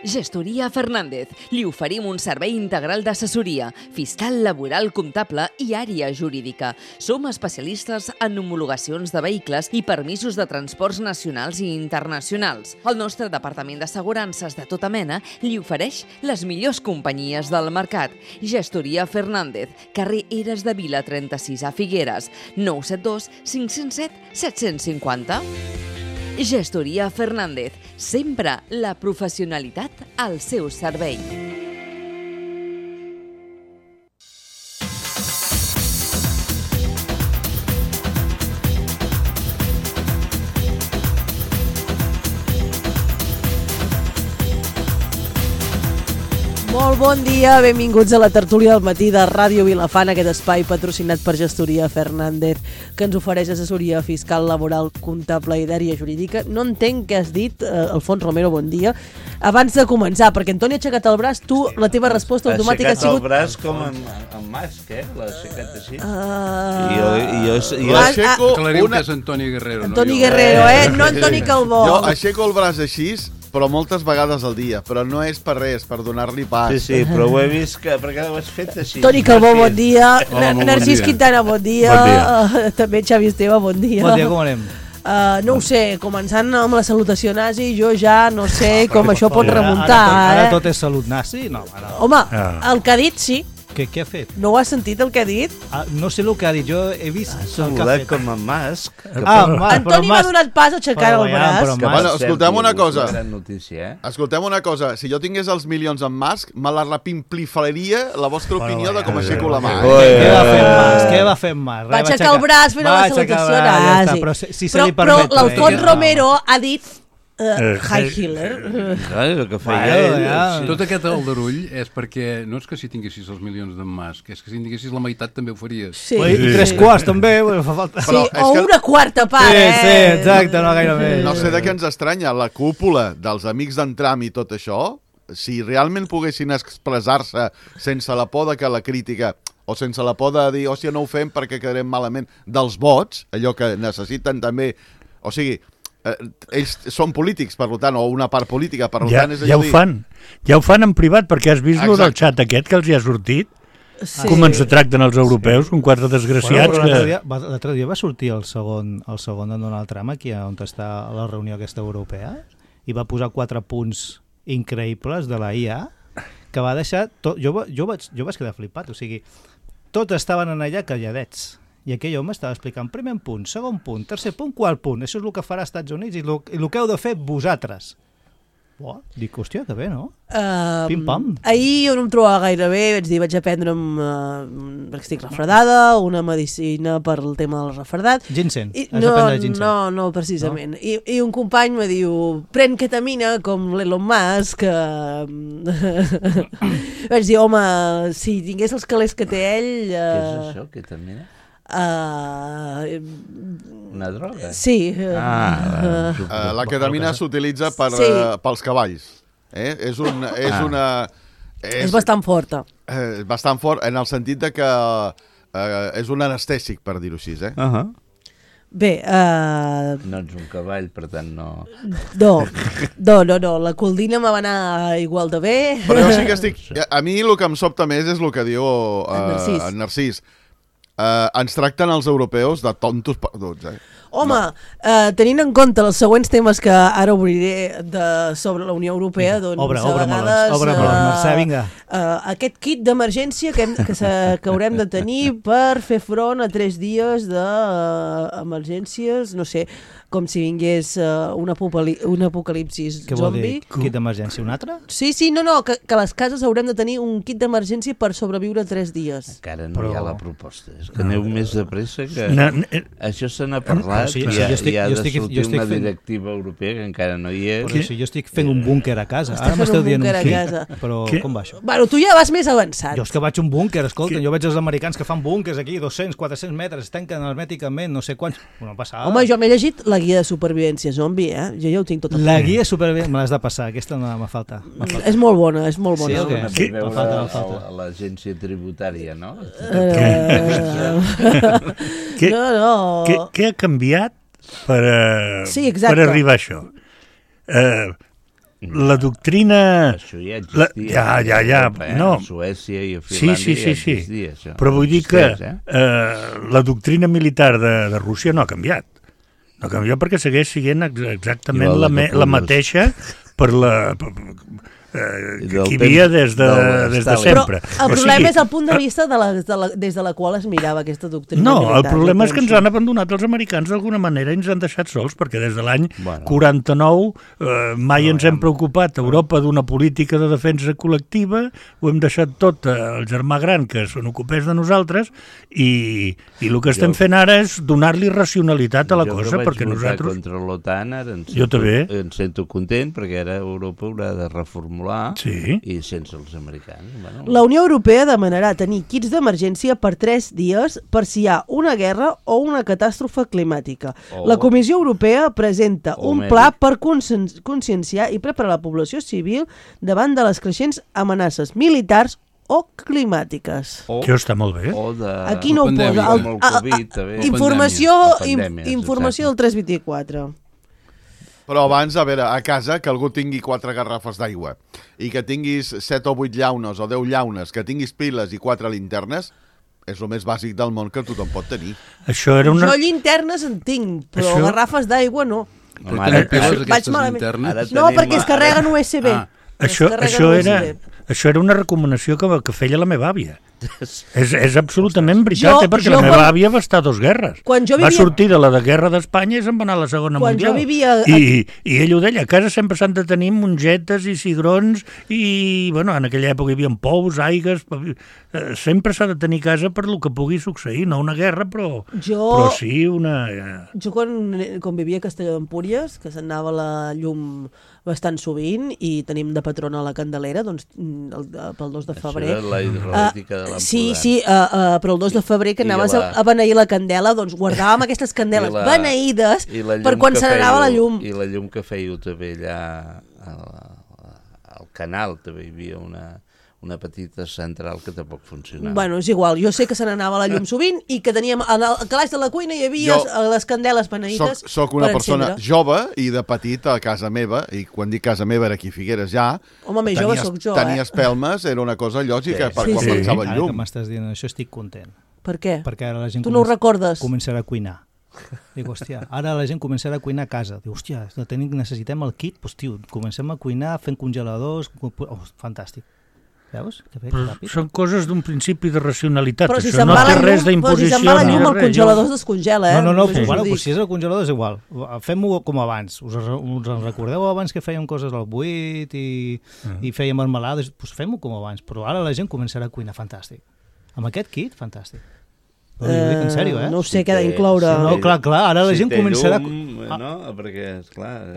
Gestoria Fernández. Li oferim un servei integral d'assessoria, fiscal, laboral, comptable i àrea jurídica. Som especialistes en homologacions de vehicles i permisos de transports nacionals i internacionals. El nostre departament d'assegurances de tota mena li ofereix les millors companyies del mercat. Gestoria Fernández, carrer Eres de Vila 36 a Figueres, 972 507 750. Gestoria Fernández, sempre la professionalitat al seu servei. Molt bon dia, benvinguts a la tertúlia del matí de Ràdio Vilafant, aquest espai patrocinat per Gestoria Fernández, que ens ofereix assessoria fiscal, laboral, comptable i d'àrea jurídica. No entenc què has dit, Alfons Romero, bon dia. Abans de començar, perquè Antoni ha aixecat el braç, tu, la teva resposta automàtica ha sigut... Ha aixecat el braç com en Masc, L'ha aixecat així. Jo aixeco Aclariu que és Antoni Guerrero. Antoni Guerrero, no Antoni Calbó. Jo aixeco el braç així, però moltes vegades al dia, però no és per res, per donar-li pas. Sí, però ho he vist perquè ho has fet així. Toni Calbó, bon dia. Hola, Narcís Quintana, bon dia. També Xavi Esteve, bon dia. Bon dia, com anem? No ho sé, començant amb la salutació nazi, jo ja no sé com això pot remuntar. Ara tot és salut nazi? No, ara... Home, el que ha dit sí. Què ha fet? No ho has sentit el que ha dit? No sé el que ha dit, jo he vist el que ha Saludat fet. com en Masc. Antoni m'ha donat pas aixecant el braç. Bueno, escoltem una cosa. Gran notícia, Escoltem una cosa. Si jo tingués els milions en Musk, me la repimplifaria la vostra opinió de com aixeco la mà. Què va fer en Mas? Què va fer en Mas? Va aixecar el braç fent la salutació nazi. Però si se li permet... Però l'Alfons Romero ha dit... Heil Hitler. Que feia Tot aquest aldarull és perquè no és que si tinguessis els milions d'en Musk, és que si en tinguessis la meitat també ho faries. Sí. I 3/4 també, fa falta. Sí, o una quarta part, Sí, exacte, no gaire més. No sé de què ens estranya, la cúpula dels amics d'en Trump i tot això, si realment poguessin expressar-se sense la por de que la crítica o sense la por de dir, hòstia, no ho fem perquè quedarem malament, dels vots, allò que necessiten també, o sigui, ells són polítics, per tant, o una part política, per tant, és allò ja ho fan en privat, perquè has vist lo del xat aquest que els hi ha sortit? Sí. Com ens tracten els europeus, com quatre desgraciats. L'altre dia va sortir el segon de Donald Trump aquí on està a la reunió aquesta europea i va posar 4 punts increïbles de la IA que va deixar... Jo vaig quedar flipat, o sigui, tots estaven en allà calladets. I aquell home estava explicant primer punt, segon punt, tercer punt, quart punt. Això és el que farà als Estats Units i el que heu de fer vosaltres. Dic, hòstia, que bé, no? Pim-pam. Ahir jo no em trobava gaire bé, vaig aprendre'm, perquè estic refredada, una medicina per al tema del refredat. Ginseng, has d'aprendre ginseng. No, precisament. No? I un company me diu, pren ketamina com l'Elon Musk. Vaig dir, home, si tingués els calés que té ell... Què és això, ketamina? Una droga? Sí. La ketamina s'utilitza pels cavalls. És bastant forta. Bastant fort en el sentit de que és un anestèsic, per dir-ho així. Bé... No ets un cavall, per tant no... No, la coldina me va anar igual de bé. Però jo sí que estic... A mi el que em sobta més és el que diu en Narcís. Ens tracten els europeus de tontos perduts, Home, tenint en compte els següents temes que ara obriré sobre la Unió Europea, doncs Obre-me'ls, Mercè, vinga. Aquest kit d'emergència que haurem de tenir per fer front a 3 dies d'emergències, no sé, com si vingués un apocalipsis zombi. Què vol dir? Kit d'emergència, un altre? Sí, no, que les cases haurem de tenir un kit d'emergència per sobreviure 3 dies. Encara no hi ha la proposta, és que aneu més de pressa que... Això se n'ha parlat i ha de sortir una directiva europea que encara no hi és. Però si jo estic fent un búnquer a casa, ara m'esteu dient un kit, però com va això? Bueno, tu ja vas més avançat. Jo és que vaig a un búnquer, escolta, jo veig els americans que fan búnquers aquí, 200, 400 metres, es tanquen hermèticament, no sé quants... Home, jo m'he llegit la guia de supervivència zombi, Jo ja ho tinc tot a La guia de supervivència, me l'has de passar, aquesta no me falta. És molt bona, és molt bona. Sí, me falta l'agència tributària, no? Què ha canviat per arribar a això? la doctrina... Això ja existia. Ja. No. A Suècia i a Finlàndia ja existia, això. Però vull dir que la doctrina militar de Rússia no ha canviat. No ha canviat perquè segueix sent exactament la mateixa per la... que hi havia des de sempre. Però el problema és el punt de vista des de la qual es mirava aquesta doctrina militar. No, el problema és que ens han abandonat els americans d'alguna manera i ens han deixat sols, perquè des de l'any 49 mai ens hem preocupat a Europa d'una política de defensa col·lectiva, ho hem deixat tot al germà gran que se n'ocupés de nosaltres i el que estem fent ara és donar-li racionalitat a la cosa, perquè nosaltres... Contra l'OTAN ara em sento content, perquè ara Europa haurà de reformular i sense els americans. La Unió Europea demanarà tenir kits d'emergència per 3 dies per si hi ha una guerra o una catàstrofe climàtica. La Comissió Europea presenta un pla per conscienciar i preparar la població civil davant de les creixents amenaces militars o climàtiques. Que està molt bé. Aquí no ho posa. Informació del 324. Però abans, a veure, a casa, que algú tingui 4 garrafes d'aigua i que tinguis 7 o 8 llaunes o 10 llaunes, que tinguis piles i 4 linternes, és el més bàsic del món que tothom pot tenir. Jo linternes en tinc, però garrafes d'aigua no. Vaig malament. No, perquè es carreguen USB. Això era una recomanació que feia la meva àvia. És absolutament veritat, perquè la meva àvia va estar a 2 guerres. Va sortir de la guerra d'Espanya i se'n va anar a la Segona Mundial. I ell ho deia, a casa sempre s'han de tenir mongetes i cigrons i, bueno, en aquella època hi havia pous, aigues, sempre s'ha de tenir casa per lo que pugui succeir, no una guerra, però sí una... Jo quan vivia a Castelló d'Empúries, que s'anava la llum bastant sovint i tenim de patrona la Candelera, doncs pel 2 de febrer. Això era la hidrològica de l'Empordà. Sí, però el 2 de febrer que anaves a beneir la candela, doncs guardàvem aquestes candeles beneïdes per quan se n'anava la llum. I la llum que fèieu també allà al canal, també hi havia una petita central que tampoc funcionava. Bueno, és igual, jo sé que se n'anava la llum sovint i que teníem, al calaix de la cuina hi havia les candeles beneïdes. Soc una persona jove i de petit a casa meva, i quan dic casa meva era aquí a Figueres ja, home, més jove soc jo, tenir espelmes era una cosa lògica per quan pensava en llum. Ara que m'estàs dient això estic content. Per què? Perquè ara la gent començarà a cuinar. Dic, hòstia, ara la gent començarà a cuinar a casa. Diu, hòstia, necessitem el kit, doncs tio, comencem a cuinar fent congeladors, fantàstic. Veus? Són coses d'un principi de racionalitat. Però si això no té res d'imposició. Però si se'n va la llum, el congelador es descongela. Si és el congelador és igual. Fem-ho com abans. Us en recordeu abans que fèiem coses al buit i fèiem marmelades? Doncs fem-ho com abans. Però ara la gent començarà a cuinar fantàstic. Amb aquest kit, fantàstic. Ho dic en sèrio, No sé què ha d'incloure. No, clar, ara la gent començarà... No, perquè, esclar,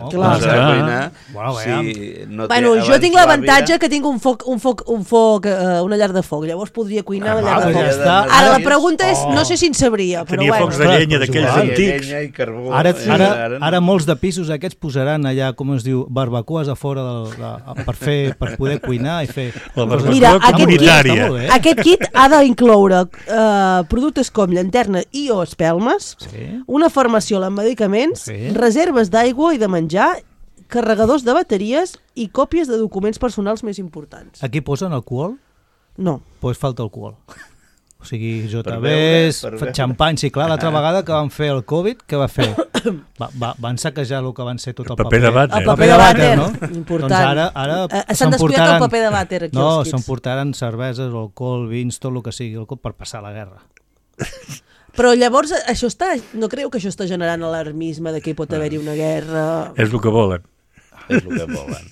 Bueno, jo tinc l'avantatge que tinc un foc, una llar de foc, llavors podria cuinar a la llar de foc. Ara la pregunta és, no sé si en sabria, però tenia focs de llenya d'aquells antics. Ara molts de pisos aquests posaran allà, com es diu, barbacoes a fora per poder cuinar i fer... Mira, aquest kit ha d'incloure productes com llanterna i o espelmes, una farmaciola amb medicaments, reserves d'aigua i de menjar, carregadors de bateries i còpies de documents personals més importants. Aquí posen alcohol? No. Pues falta alcohol. O sigui, JBs, xampany, sí, clar, l'altra vegada que van fer el Covid, què va fer? Van saquejar el que van ser tot el paper de vàter. El paper de vàter, no? Important. Doncs ara s'han descuidat el paper de vàter aquí als kits. No, s'emportaran cerveses, alcohol, vins, tot el que sigui alcohol per passar la guerra. Però llavors no creu que això està generant alarmisme de que hi pot haver-hi una guerra? És el que volen. És el que volen.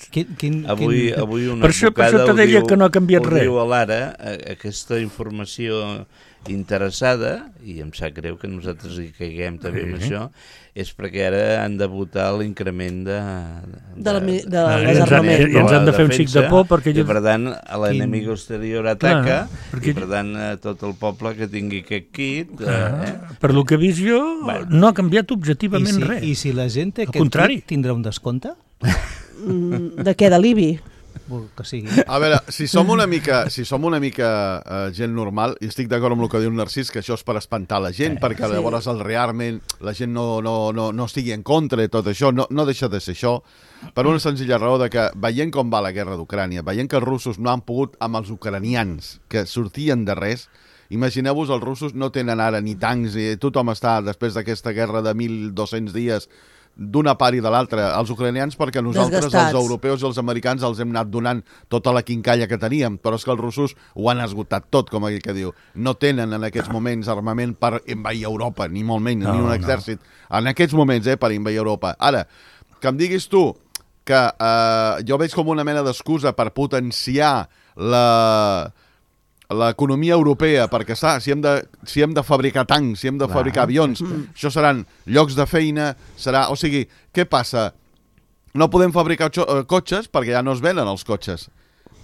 Avui una per això te deia que no ha canviat res. Ho diu a l'Ara, aquesta informació interessada, i em sap greu que nosaltres hi caiguem també amb això, és perquè ara han de votar l'increment de les armaments. I ens han de fer un xic de por perquè... I per tant, l'enemic exterior ataca, i per tant, tot el poble que tingui aquest kit... Per lo que he vist jo, no ha canviat objectivament res. I si la gent té aquest kit, tindrà un descompte? De què, de l'IBI? que sigui. A veure, si som una mica gent normal, i estic d'acord amb el que diu Narcís, que això és per espantar la gent, perquè llavors realment la gent no estigui en contra i tot això, no deixa de ser això, per una senzilla raó de que veient com va la guerra d'Ucrània, veient que els russos no han pogut amb els ucranians, que sortien de res, imagineu-vos, els russos no tenen ara ni tancs, i tothom està, després d'aquesta guerra de 1.200 dies, d'una part i de l'altra, els ucranians, perquè nosaltres, els europeus i els americans, els hem anat donant tota la quincalla que teníem, però és que els russos ho han esgotat tot, com aquell que diu. No tenen en aquests moments armament per envair Europa, ni molt menys, ni un exèrcit. En aquests moments, per envair Europa. Ara, que em diguis tu que jo veig com una mena d'excusa per potenciar l'economia europea, perquè si hem de fabricar tancs, si hem de fabricar avions, això seran llocs de feina, o sigui, què passa? No podem fabricar cotxes perquè ja no es venen els cotxes.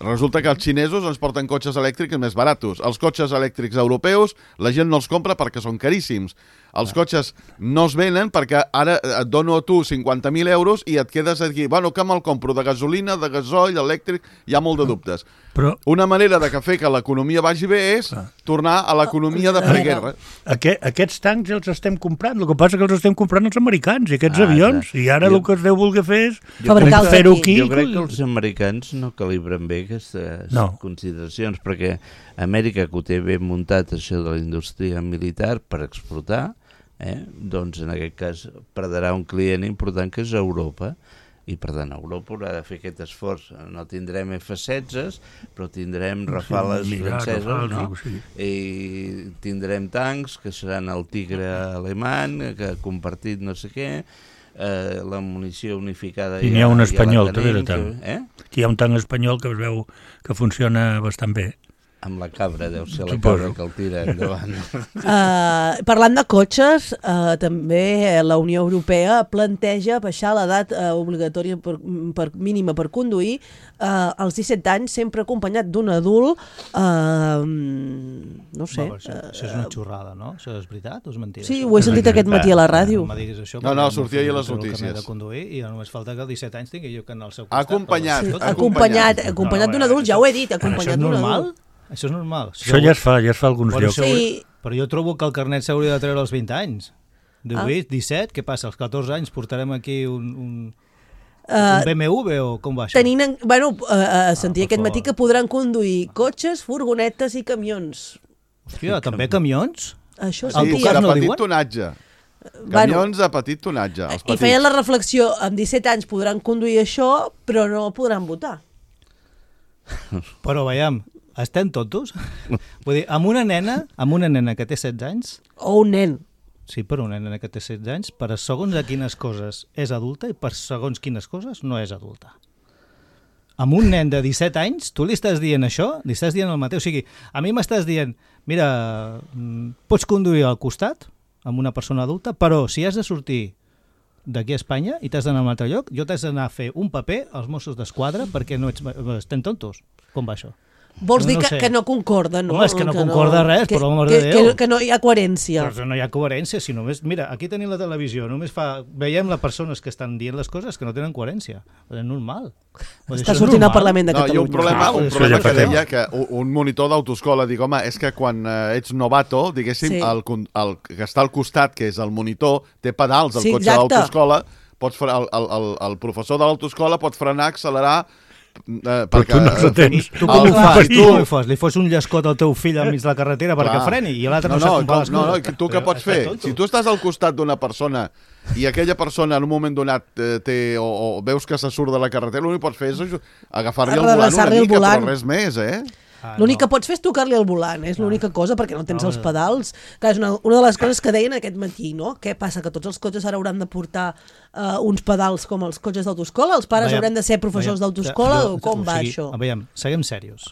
Resulta que els xinesos ens porten cotxes elèctrics més baratos. Els cotxes elèctrics europeus la gent no els compra perquè són caríssims. Els cotxes no es venen perquè ara et dono a tu 50.000 euros i et quedes aquí, bueno, que me'l compro de gasolina, de gasoil, elèctric, hi ha molt de dubtes. Però una manera de fer que l'economia vagi bé és tornar a l'economia de preguerra. Aquests tancs els estem comprant, el que passa que els estem comprant els americans i aquests avions, i ara el que es deu voler fer és fer-ho aquí. Jo crec que els americans no calibren bé aquestes consideracions, perquè Amèrica, que ho té ben muntat això de la indústria militar per exportar, doncs en aquest cas perdrà un client important que és Europa, i per tant Europa haurà de fer aquest esforç. No tindrem F-16, però tindrem Rafales franceses, i tindrem tancs que seran el Tigre alemany, que ha compartit no sé què, la munició unificada. I n'hi ha un espanyol també de tanc. Hi ha un tanc espanyol que es veu que funciona bastant bé. Amb la cabra, deu ser la cabra que el tira endavant. Parlant de cotxes, també la Unió Europea planteja baixar l'edat obligatòria mínima per conduir als 17 anys, sempre acompanyat d'un adult. No sé. Això és una xorrada, no? Això és veritat o és mentida? Sí, ho he sentit aquest matí a la ràdio. No, sortia ahir a les notícies. I només falta que als 17 anys tingui jo que anar al seu costat. Acompanyat d'un adult, ja ho he dit, acompanyat d'un adult. Això és normal. Això ja es fa alguns llocs. Sí. Però jo trobo que el carnet s'hauria de treure als 20 anys. 18, 17, què passa? Als 14 anys portarem aquí un BMW o com va això? Sentia aquest matí que podran conduir cotxes, furgonetes i camions. Hòstia, també camions? Això sí, de petit tonatge. Camions de petit tonatge. I feien la reflexió, amb 17 anys podran conduir això, però no podran votar. Però veiem, estem tontos? Vull dir, amb una nena que té 16 anys... O un nen. Sí, però una nena que té 16 anys, per segons a quines coses és adulta i per segons quines coses no és adulta. Amb un nen de 17 anys, tu li estàs dient això? Li estàs dient el mateix? O sigui, a mi m'estàs dient, mira, pots conduir al costat amb una persona adulta, però si has de sortir d'aquí a Espanya i t'has d'anar a un altre lloc, jo t'has d'anar a fer un paper als Mossos d'Esquadra perquè no estem tontos. Com va això? Vols dir que no concorda, no? Home, és que no concorda res, per l'amor de Déu. Que no hi ha coherència. Però no hi ha coherència, si només... Mira, aquí tenim la televisió, només veiem les persones que estan dient les coses que no tenen coherència. És normal. Està sortint al Parlament de Catalunya. Hi ha un problema que deia que un monitor d'autoescola dic, home, és que quan ets novato, diguéssim, el que està al costat, que és el monitor, té pedals, el cotxe d'autoescola, el professor de l'autoescola pot frenar, accelerar... Però tu no ho tens. Tu com ho fas? Li fos un llescot al teu fill enmig de la carretera perquè freni i l'altre no sap com va les coses. No, tu què pots fer? Si tu estàs al costat d'una persona i aquella persona en un moment donat o veus que se surt de la carretera, l'únic que pots fer és agafar-li el volant una mica, però res més, L'únic que pots fer és tocar-li el volant, és l'única cosa, perquè no tens els pedals. És una de les coses que deien aquest matí, no? Què passa? Que tots els cotxes ara hauran de portar uns pedals com els cotxes d'autoescola? Els pares hauran de ser professors d'autoescola? O com va això? Veiem, seguim serios.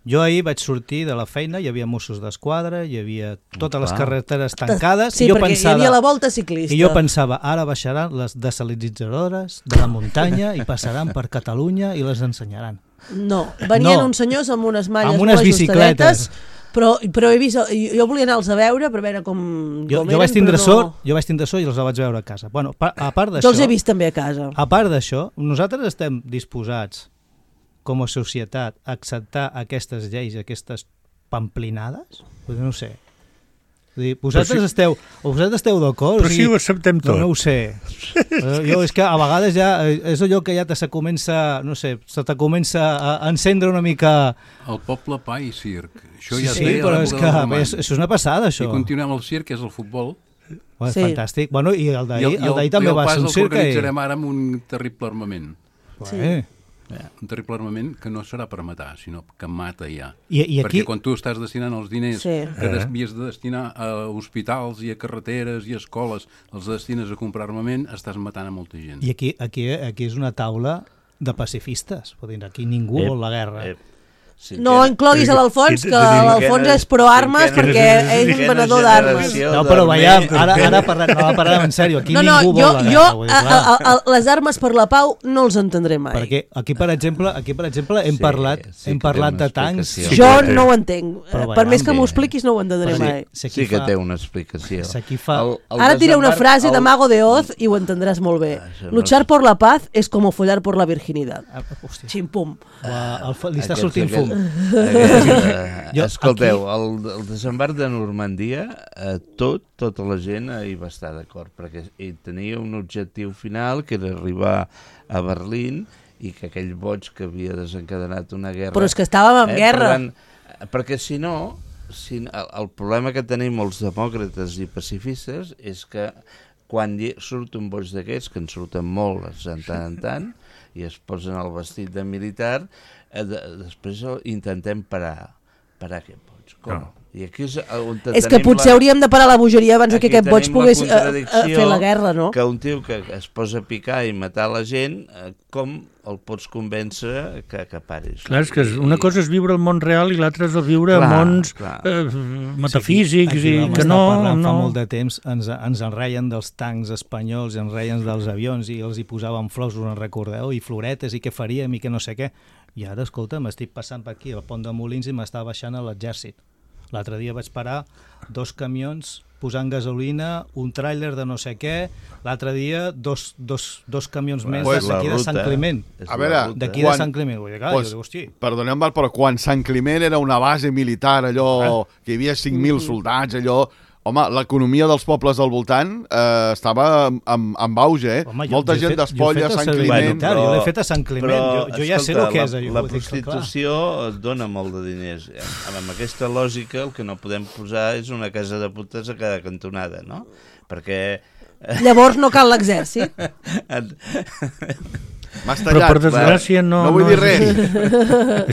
Jo ahir vaig sortir de la feina, hi havia Mossos d'Esquadra, hi havia totes les carreteres tancades. Sí, perquè hi havia la volta ciclista. I jo pensava, ara baixaran les desalinitzadores de la muntanya i passaran per Catalunya i les ensenyaran. No, venien uns senyors amb unes malles amb unes bicicletes, però he vist, jo volia anar-los a veure per veure com jo vaig tindre sort i els vaig veure a casa. Bueno, a part d'això, jo els he vist també a casa. A part d'això, nosaltres estem disposats com a societat, acceptar aquestes lleis, aquestes pamplinades? No ho sé. Vosaltres esteu d'acord? Però si ho acceptem tot. No ho sé. Jo és que a vegades ja és allò que ja se comença, no sé, se te comença a encendre una mica... El poble pa i circ. Això ja sí, però és que això és una passada, això. I continuem el circ, que és el futbol. Fantàstic. Bueno, i el d'ahir també va ser un circ. I el pas el organitzarem ara amb un terrible armament. Sí. Un terrible armament que no serà per matar, sinó que mata ja. I perquè quan tu estàs destinant els diners que havies de destinar a hospitals i a carreteres i a escoles, els destines a comprar armament, estàs matant a molta gent. I aquí és una taula de pacifistes. Aquí ningú vol la guerra. No incloguis a l'Alfons, que l'Alfons és pro-armes perquè ell és un venedor d'armes. No, però veiem, ara parlem en sèrio. Aquí ningú vol la guerra. Les armes per la pau no els entendré mai. Perquè aquí, per exemple, hem parlat de tancs. Jo no ho entenc. Per més que m'ho expliquis, no ho entendré mai. Sí que té una explicació. Ara diré una frase de Mago de Oz i ho entendràs molt bé. Luchar por la paz es como follar por la virginidad. Xim-pum. Li està sortint fum. Escolteu, el desembarc de Normandia, tota la gent hi va estar d'acord, perquè tenia un objectiu final, que era arribar a Berlín, i que aquell boig que havia desencadenat una guerra... Però és que estàvem en guerra. Perquè si no, el problema que tenim els demòcrates i pacifistes és que quan surt un boig d'aquests, que en surten molts de tant en tant, i es posen el vestit de militar, després intentem parar aquest boig. Com? No. I aquí és que potser hauríem de parar la bogeria abans que aquest boig pogués fer la guerra, no? Que un tio que es posa a picar i matar la gent, com el pots convèncer que paris? Clar, és que una cosa és viure al món real i l'altra és viure a mons metafísics i que no... Fa molt de temps ens enreien dels tancs espanyols i ens enreien dels avions i els hi posaven flors, us en recordeu? I floretes i què faríem i que no sé què. I ara, escolta, m'estic passant per aquí al pont de Molins i m'està baixant a l'exèrcit. L'altre dia vaig parar 2 camions posant gasolina, un tràiler de no sé què, l'altre dia dos camions més d'aquí de Sant Climent. A veure, d'aquí de Sant Climent. Perdoneu-me, però quan Sant Climent era una base militar, allò que hi havia 5.000 soldats, allò... Home, l'economia dels pobles al voltant estava en auge, Home, molta gent d'Espolla, Sant Climent... Jo l'he fet a Sant Climent, jo ja sé el que és. La prostitució dona molt de diners. Amb aquesta lògica el que no podem posar és una casa de putes a cada cantonada, no? Perquè... Llavors no cal l'exèrcit. Però per desgràcia no vull dir res.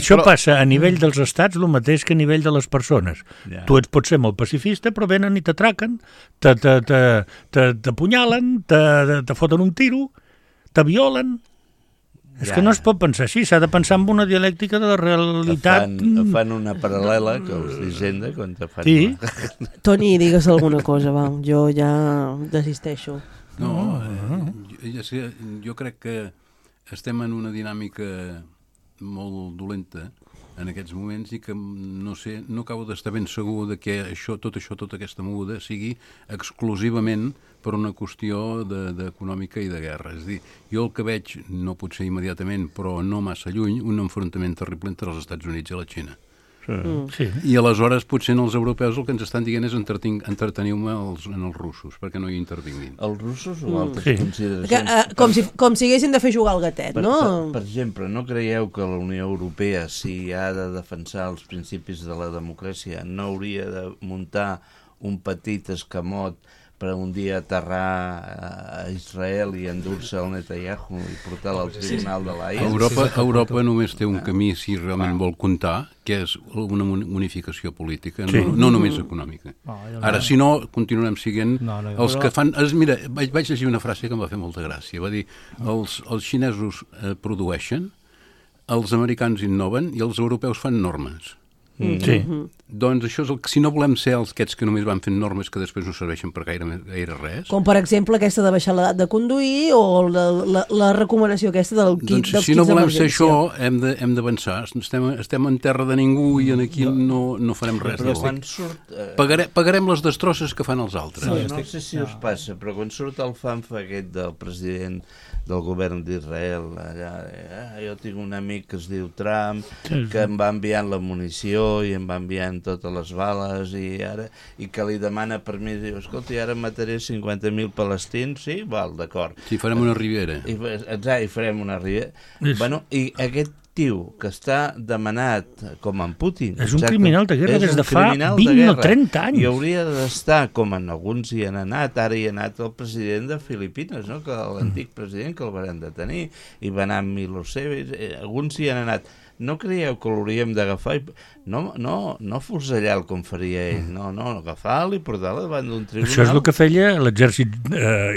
Això passa a nivell dels estats el mateix que a nivell de les persones. Tu pots ser molt pacifista, però venen i t'atraquen, t'apunyalen, te foten un tiro, te violen. És que no es pot pensar així, s'ha de pensar en una dialèctica de la realitat. Fan una paral·lela que us d'Hisenda quan te fan... Sí. Toni, digues alguna cosa, va. Jo ja desisteixo. No, jo crec que estem en una dinàmica molt dolenta en aquests moments i que no acabo d'estar ben segur de que tota aquesta moguda sigui exclusivament per una qüestió d'econòmica i de guerra. És a dir, jo el que veig, no potser immediatament, però no massa lluny, un enfrontament terrible entre els Estats Units i la Xina. Sí. I aleshores potser els europeus el que ens estan dient és entreteniu-me en els russos, perquè no hi intervinguin. Els russos o altres consideracions? Com si haguessin de fer jugar al gatet, no? Per exemple, no creieu que la Unió Europea, si ha de defensar els principis de la democràcia, no hauria de muntar un petit escamot per un dia aterrar a Israel i endur-se al Netanyahu i portar-lo al tribunal de l'AIA? Europa només té un camí, si realment vol comptar, que és una unificació política, no només econòmica. Ara, si no, continuarem siguent els que fan... Mira, vaig llegir una frase que em va fer molta gràcia. Va dir, els xinesos produeixen, els americans innoven i els europeus fan normes. Sí. Doncs això és el que, si no volem ser aquests que només van fent normes que després no serveixen per gaire res... Com, per exemple, aquesta de baixar l'edat de conduir o la recomanació aquesta dels kits d'emergència. Doncs si no volem ser això, hem d'avançar. Estem en terra de ningú i aquí no farem res. Però quan surt... Pagarem les destrosses que fan els altres. No sé si us passa, però quan surt el fanfa aquest del president del govern d'Israel, jo tinc un amic que es diu Trump, que em va enviant la munició i em va enviant totes les bales i que li demana permís, diu, escolta, ara mataré 50.000 palestins, sí? Val, d'acord. Sí, farem una ribera. Exacte, i farem una ribera. Bueno, i aquest tio que està demanat com en Putin... És un criminal de guerra des de fa 20 o 30 anys. I hauria d'estar, com en alguns hi han anat, ara hi ha anat el president de Filipines, no? Que l'antic president que el van detenir, i va anar amb Milosevic, alguns hi han anat. No creieu que l'hauríem d'agafar? No fusellar-lo com faria ell, no, agafar-lo i portar-lo davant d'un tribunal. Això és el que feia l'exèrcit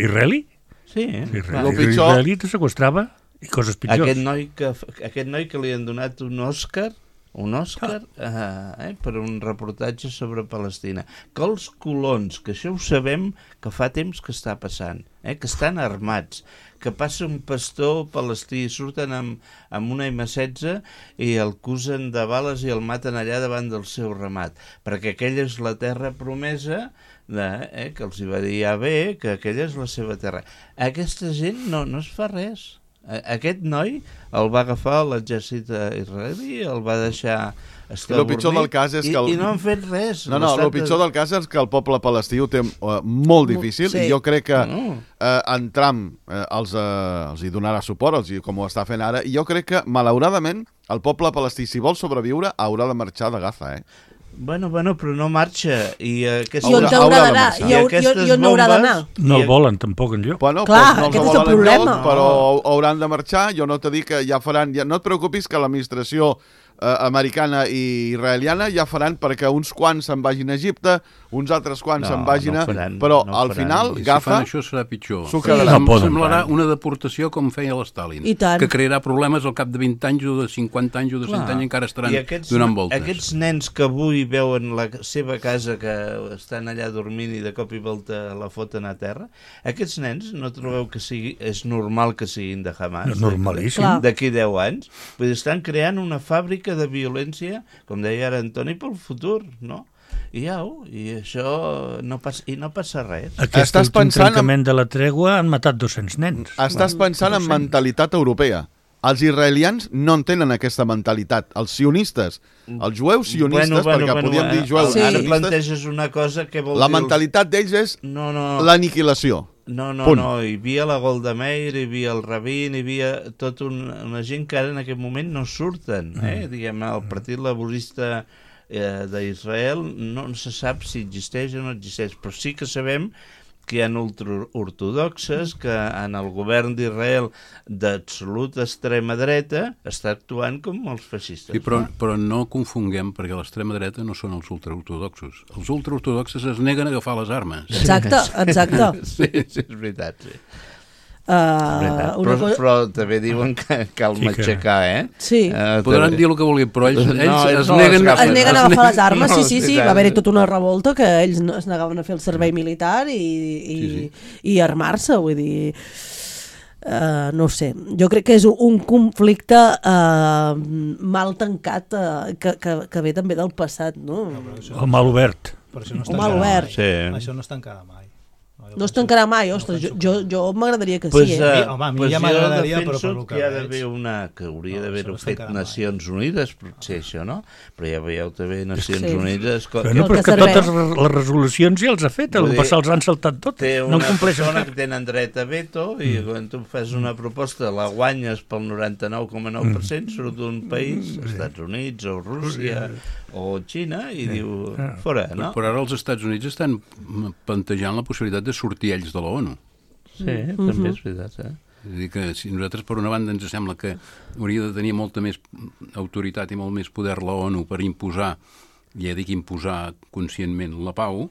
israelí? Sí. Israelí te sequestrava i coses pitjors. Aquest noi que li han donat un Òscar per un reportatge sobre Palestina, que els colons, que això ho sabem que fa temps que està passant, que estan armats, que passa un pastor palestí, surten amb una M16 i el acusen de bales i el maten allà davant del seu ramat, perquè aquella és la terra promesa, que els hi va dir bé, que aquella és la seva terra. Aquesta gent no es fa res. Aquest noi el va agafar l'exèrcit israelí, el va deixar estar dormit i no han fet res. El pitjor del cas és que el poble palestí ho té molt difícil i jo crec que en Trump els hi donarà suport, com ho està fent ara, i jo crec que, malauradament, el poble palestí, si vol sobreviure, haurà de marxar de Gaza, Bueno, però no marxa. I on haurà d'anar? I on haurà d'anar? No el volen tampoc enlloc. Bueno, clar, no aquest és el problema. Però hauran de marxar. Jo no t'he dit que ja faran... No et preocupis que l'administració americana i israeliana ja faran perquè uns quants se'n vagin a Egipte, uns altres quants se'n vagin però al final Gaza... Si fan això serà pitjor. Semblarà una deportació com feia l'Stalin, que crearà problemes al cap de 20 anys o de 50 anys o de 100 anys encara estaran donant voltes. Aquests nens que avui veuen la seva casa que estan allà dormint i de cop i volta la foten a terra, aquests nens no trobeu que és normal que siguin de Hamas? Normalíssim. D'aquí 10 anys? Vull dir, estan creant una fàbrica de violència, com deia ara Antoni, pel futur, no? I això no passa res. Aquest últim trencament de la tregua han matat 200 nens. Estàs pensant en mentalitat europea. Els israelians no en tenen aquesta mentalitat. Els sionistes, els jueus sionistes, perquè podíem dir jueus sionistes... Ara planteges una cosa que vol dir... La mentalitat d'ells és l'aniquilació. No, hi havia la Golda Meir, hi havia el Rabin, hi havia tota una gent que ara en aquest moment no surten. Diguem, el Partit Laborista d'Israel no se sap si existeix o no existeix, però sí que sabem que hi ha ultraortodoxes, que en el govern d'Israel d'absoluta extrema dreta està actuant com els feixistes. Sí, però no confonguem, perquè l'extrema dreta no són els ultraortodoxos. Els ultraortodoxos es neguen a agafar les armes. Exacte. Sí, és veritat, sí. Però també diuen que cal matxacar, Sí. Podran dir el que vulguin, però ells es neguen a agafar les armes, sí. Va haver-hi tota una revolta que ells es negaven a fer el servei militar i armar-se, vull dir... no sé, jo crec que és un conflicte mal tancat que ve també del passat, no? O mal obert. Això no es tancarà mai. No es tancarà mai, ostres, jo m'agradaria que sí. Home, a mi ja m'agradaria, però per que hi ha d'haver que hauria d'haver-ho fet Nacions Unides, potser això, no? Però ja veieu també Nacions Unides... Però que totes les resolucions ja els ha fet, el passat els han saltat tot. Té una persona que tenen dret a veto i quan tu fas una proposta la guanyes pel 99,9%, surt d'un país, Estats Units o Rússia o Xina, i diu fora, no? Però ara els Estats Units estan plantejant la possibilitat de sortir ells de l'ONU. Sí, també és veritat, És dir, que si nosaltres, per una banda, ens sembla que hauria de tenir molta més autoritat i molt més poder la ONU per imposar, ja dic imposar conscientment la pau,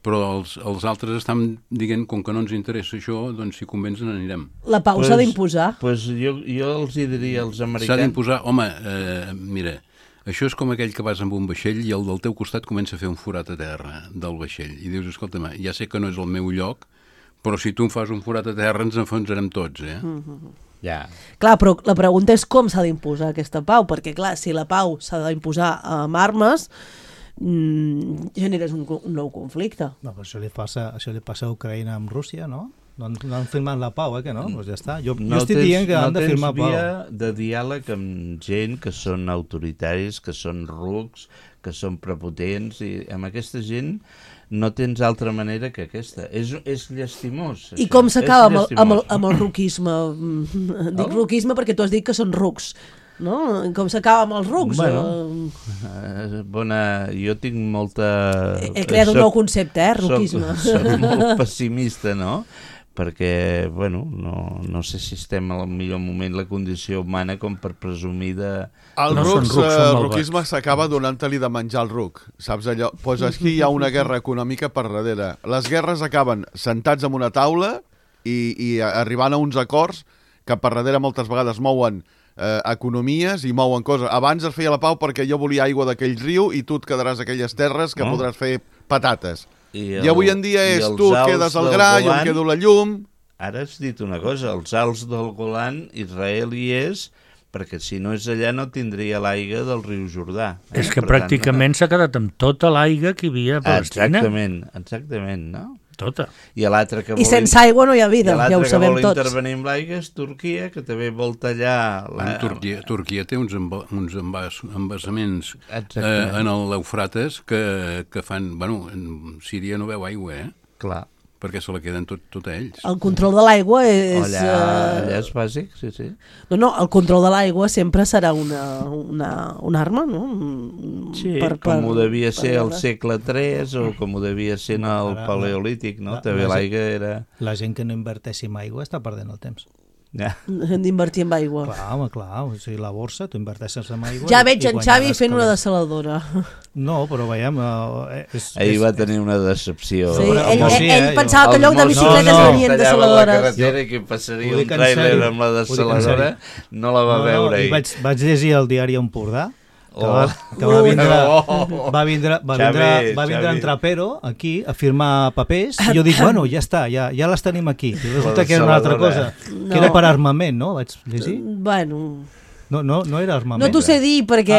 però els altres estan dient, com que no ens interessa això, doncs si convens n'anirem. La pau s'ha d'imposar? Doncs jo els hi diria als americans... S'ha d'imposar, home, mira... Això és com aquell que vas amb un vaixell i el del teu costat comença a fer un forat a terra del vaixell. I dius, escolta'm, ja sé que no és el meu lloc, però si tu em fas un forat a terra ens enfonsarem tots, Ja. Clar, però la pregunta és com s'ha d'imposar aquesta pau, perquè clar, si la pau s'ha d'imposar amb armes, generes un nou conflicte. No, però això li passa a Ucraïna amb Rússia, no? No han firmat la pau, que no? Doncs ja està. Jo estic dient que han de firmar pau. No tens via de diàleg amb gent que són autoritaris, que són rucs, que són prepotents, i amb aquesta gent no tens altra manera que aquesta. És llastimós. I com s'acaba amb el ruquisme? Dic ruquisme perquè tu has dit que són rucs. No? Com s'acaba amb els rucs? Jo tinc molta... He creat un nou concepte, ruquisme. Soc molt pessimista, no? Perquè, no sé si estem al millor moment la condició humana com per presumir de... El ruquisme s'acaba donant-li de menjar el ruc, saps allò? Doncs aquí hi ha una guerra econòmica per darrere. Les guerres acaben sentats en una taula i arribant a uns acords que per darrere moltes vegades mouen economies i mouen coses. Abans es feia la pau perquè jo volia aigua d'aquell riu i tu et quedaràs a aquelles terres que podràs fer patates. I avui en dia és tu quedes al gra, jo em quedo la llum. Ara has dit una cosa, els alts del Golan, Israel hi és, perquè si no és allà no tindria l'aigua del riu Jordà. És que pràcticament s'ha quedat amb tota l'aigua que hi havia a Palestina. Exactament, no? Tota. I sense aigua no hi ha vida, ja ho sabem tots. I l'altre que vol intervenir amb l'aigua és Turquia, que també vol tallar... Turquia té uns embassaments en l'Eufrates que fan... Síria no veu aigua, Clar. Perquè se la queden tot a ells. El control de l'aigua és... Allà és bàsic, sí. No, el control de l'aigua sempre serà una arma, no? Sí, com ho devia ser al segle III o com ho devia ser en el Paleolític, no? També l'aigua era... La gent que no inverteixi en aigua està perdent el temps. Hem d'invertir en aigua. Clar, o sigui, la borsa, tu inverteixes en aigua... Ja veig en Xavi fent una dessaladora. No, però veiem... Ahir va tenir una decepció. Sí, ell pensava que en lloc de bicicletes venien dessaladores. La carretera i que passaria un tràiler amb la dessaladora, no la va veure ahir. Vaig llegir el diari Empordà, que va vindre en Trapero aquí a firmar papers i jo dic, ja està, ja les tenim aquí. I resulta que era una altra cosa, que era per armament, no? Vaig llegir? No era armament. No t'ho sé dir perquè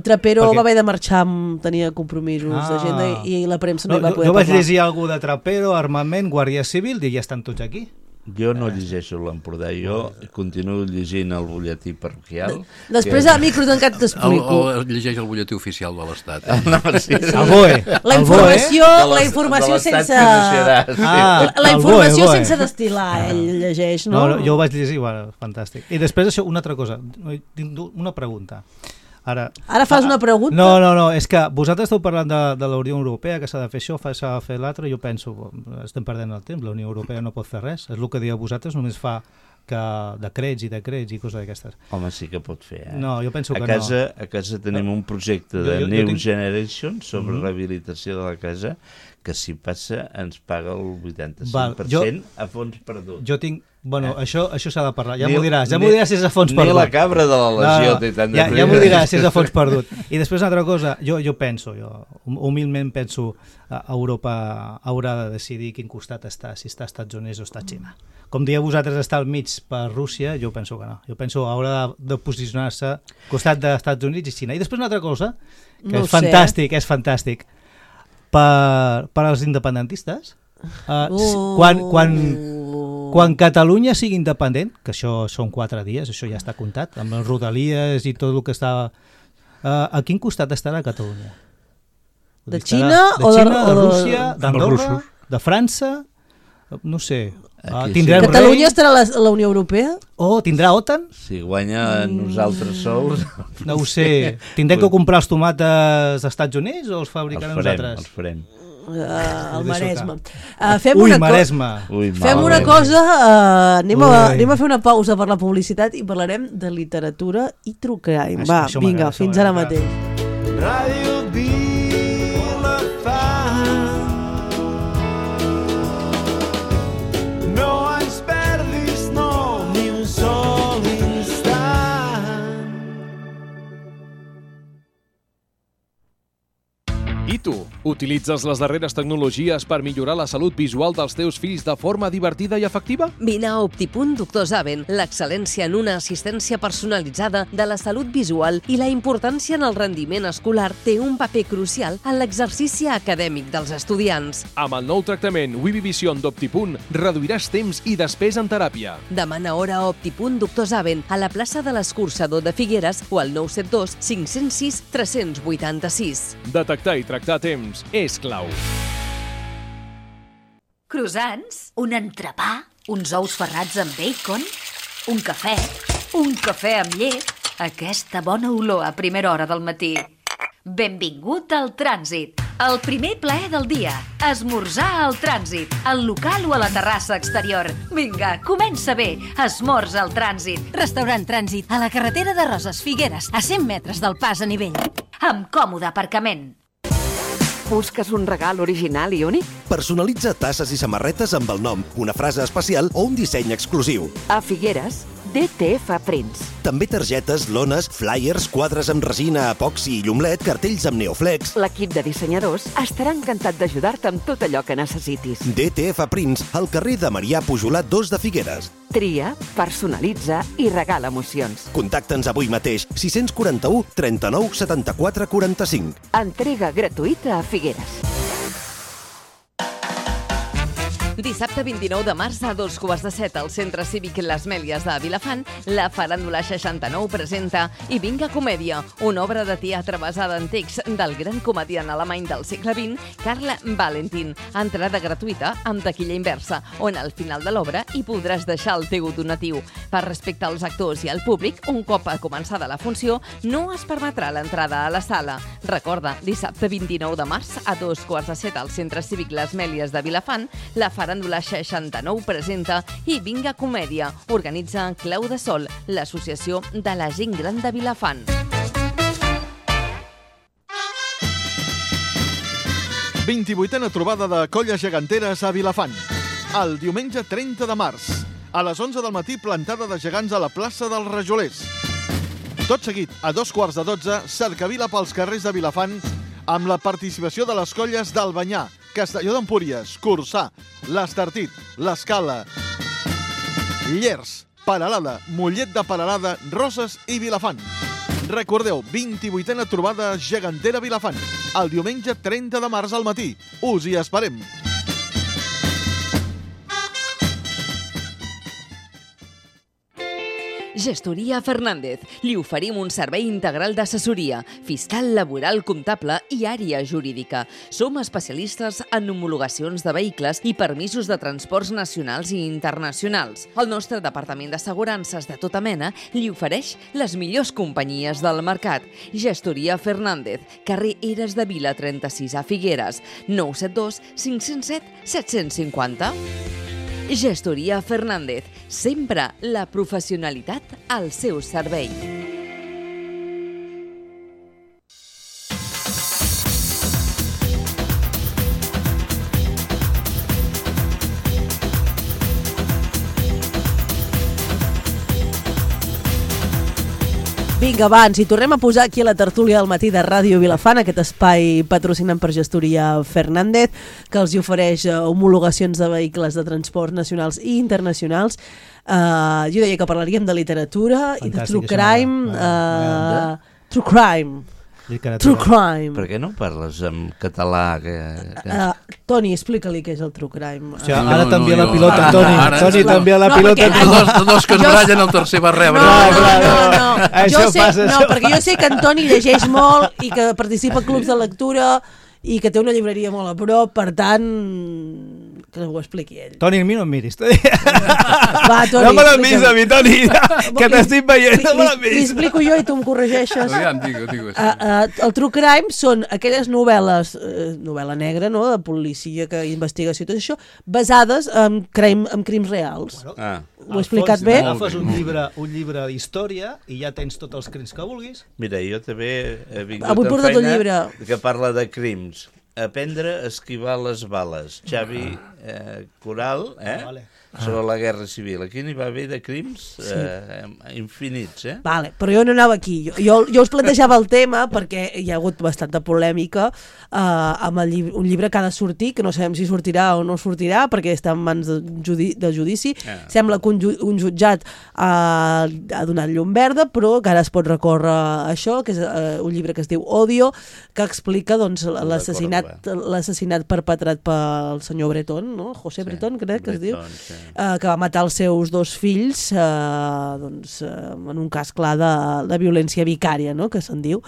Trapero va haver de marxar, tenia compromisos d'agenda i la premsa no hi va poder parlar. Jo vaig llegir alguna de Trapero, armament, Guàrdia Civil, i ja estan tots aquí. Jo no llegeixo l'Empordà, jo continuo llegint el butlletí parroquial. Després a micro tancat t'explico. Llegeix el butlletí oficial de l'Estat. El BOE. La informació sense... La informació sense destil·lar, ell llegeix, no? No, jo ho vaig llegir, fantàstic. I després això, una altra cosa, una pregunta. Ara fas una pregunta? No, és que vosaltres esteu parlant de la Unió Europea, que s'ha de fer això, s'ha de fer l'altre, jo penso, estem perdent el temps, la Unió Europea no pot fer res, és el que dieu vosaltres, només fa que decrets i coses d'aquestes. Home, sí que pot fer, No, jo penso que no. A casa tenim un projecte de New Generation sobre rehabilitació de la casa, que si passa ens paga el 85% a fons perdut. Jo tinc... això s'ha de parlar, ja m'ho diràs si és a fons perdut. Ni la cabra de la legió té tant de ja m'ho diràs si és a fons perdut. I després una altra cosa, jo penso, humilment penso, Europa haurà de decidir quin costat està, si està als Estats Units o està a Xina. Com dieu vosaltres estar al mig per Rússia, jo penso que no. Jo penso que haurà de posicionar-se al costat dels Estats Units i Xina. I després una altra cosa, que és fantàstic, per als independentistes, quan Catalunya sigui independent, que això són 4 dies, això ja està comptat, amb les rodalies i tot el que està... A quin costat estarà Catalunya? De Xina o de Rússia, d'Andorra, de França, no sé... Catalunya estarà a la Unió Europea? Tindrà OTAN? Si guanya nosaltres sols... No ho sé. Tindrem que comprar els tomates als Estats Units o els fabricarem nosaltres? Els farem. Al Maresme. Maresme. Fem una cosa, anem a fer una pausa per la publicitat i parlarem de literatura i true crime. Va, vinga, fins ara mateix. Ràdio I tu, utilitzes les darreres tecnologies per millorar la salut visual dels teus fills de forma divertida i efectiva? Vine a Optipunt Doctor Zaven, l'excel·lència en una assistència personalitzada de la salut visual i la importància en el rendiment escolar té un paper crucial en l'exercici acadèmic dels estudiants. Amb el nou tractament Vivivision d'Optipunt reduiràs temps i despesa en teràpia. Demana hora a Optipunt Doctor Zaven a la plaça de l'Escurçador de Figueres o al 972 506 386. Detectar i tractar a temps és clau. Croissants, un entrepà, uns ous ferrats amb bacon, un cafè amb llet, aquesta bona olor a primera hora del matí. Benvingut al Trànsit, el primer plaer del dia. Esmorzar al Trànsit, al local o a la terrassa exterior. Vinga, comença bé, esmorza al Trànsit. Restaurant Trànsit, a la carretera de Roses, Figueres, a 100 metres del pas a nivell. Amb còmode aparcament. Busques un regal original i únic? Personalitza tasses i samarretes amb el nom, una frase especial o un disseny exclusiu. A Figueres, DTF Prints. També targetes, lones, flyers, quadres amb resina, epoxi i llumlet, cartells amb neoflex. L'equip de dissenyadors estarà encantat d'ajudar-te amb tot allò que necessitis. DTF Prints, al carrer de Marià Pujolat 2 de Figueres. Tria, personalitza i regala emocions. Contacta'ns avui mateix, 641 39 74 45. Entrega gratuïta a Figueres. Dissabte 29 de març a 2:15 al Centre Cívic Les Mèlies de Vilafant, la Faràndula 69 presenta I vinga comèdia, una obra de teatre basada en text del gran comediant alemany del segle XX, Karl Valentin. Entrada gratuïta amb taquilla inversa, on al final de l'obra hi podràs deixar el teu donatiu. Per respecte als actors i al públic, un cop començada la funció, no es permetrà l'entrada a la sala. Recorda, dissabte 29 de març a 2:15 al Centre Cívic Les Mèlies de Vilafant, la Faràndula 69 presenta I vinga comèdia. Organitza Clau de Sol, l'associació de la gent gran de Vilafant. «28a trobada de colles geganteres a Vilafant. El diumenge 30 de març, a les 11 del matí, plantada de gegants a la plaça dels Rajolers. Tot seguit, a 2:15, cercavila pels carrers de Vilafant, amb la participació de les colles d'Albanyà, Castelló d'Empúries, Corçà, l'Estartit, l'Escala, Llers, Peralada, Mollet de Peralada, Roses i Vilafant. Recordeu, 28a trobada gegantera Vilafant, el diumenge 30 de març al matí. Us hi esperem. Gestoria Fernández. Li oferim un servei integral d'assessoria, fiscal, laboral, comptable i àrea jurídica. Som especialistes en homologacions de vehicles i permisos de transports nacionals i internacionals. El nostre departament d'assegurances de tota mena li ofereix les millors companyies del mercat. Gestoria Fernández, carrer Eres de Vila 36 a Figueres, 972 507 750. Gestoria Fernández, sempre la professionalitat al seu servei. Vinga, va, ens hi tornem a posar aquí a la tertúlia del matí de Ràdio Vilafant, aquest espai patrocinat per Gestoria Fernández, que els hi ofereix homologacions de vehicles de transports nacionals i internacionals. Jo deia que parlaríem de literatura i de true crime. True crime. True crime. Per què no parles en català? Toni, explica-li què és el true crime. Ara t'envia la pilota, Toni. Toni, t'envia la pilota. Dos que es ratllen, el tercer va rebre. No. Perquè jo sé que en Toni llegeix molt i que participa a clubs de lectura i que té una llibreria molt a prop, per tant, que ho expliqui ell. Toni, a mi no em miris. Va, Toni, no me l'han vist a mi, Toni, que t'estic veient, no me l'han vist. Li explico jo i tu em corregeixes. Digue. El true crime són aquelles novel·les, novel·la negra, no?, de policia, investigació i tot això, basades en crims reals. Ho he explicat bé? Agafes un llibre d'història i ja tens tots els crims que vulguis. Mira, jo també he vingut amb feina que parla de crims. Aprendre a esquivar les bales. Xavi Coral, sobre la Guerra Civil. Aquí n'hi va haver de crims infinits, Vale, però jo no anava aquí. Jo us plantejava el tema perquè hi ha hagut bastanta polèmica amb un llibre que ha de sortir, que no sabem si sortirà o no sortirà, perquè està en mans de judici. Sembla que un jutjat ha donat llum verda, però que ara es pot recórrer a això, que és un llibre que es diu Odio, que explica l'assassinat perpetrat pel senyor Breton, no? José Breton, crec que es diu, que va matar els seus 2 fills en un cas clar de violència vicària, no? Que se'n diu.